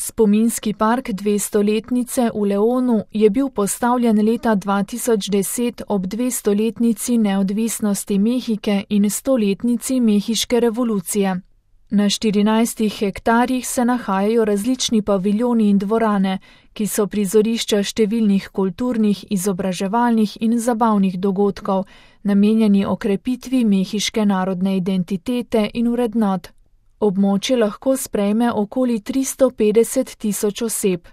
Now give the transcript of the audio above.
Spominski park 200-letnice v Leonu je bil postavljen leta 2010 ob 200-letnici neodvisnosti Mehike in 100-letnici Mehiške revolucije. Na 14 hektarjih se nahajajo različni paviljoni in dvorane, ki so prizorišča številnih kulturnih, izobraževalnih in zabavnih dogodkov, namenjeni okrepitvi mehiške narodne identitete in vrednot. Območje lahko sprejme okoli 350 tisoč oseb.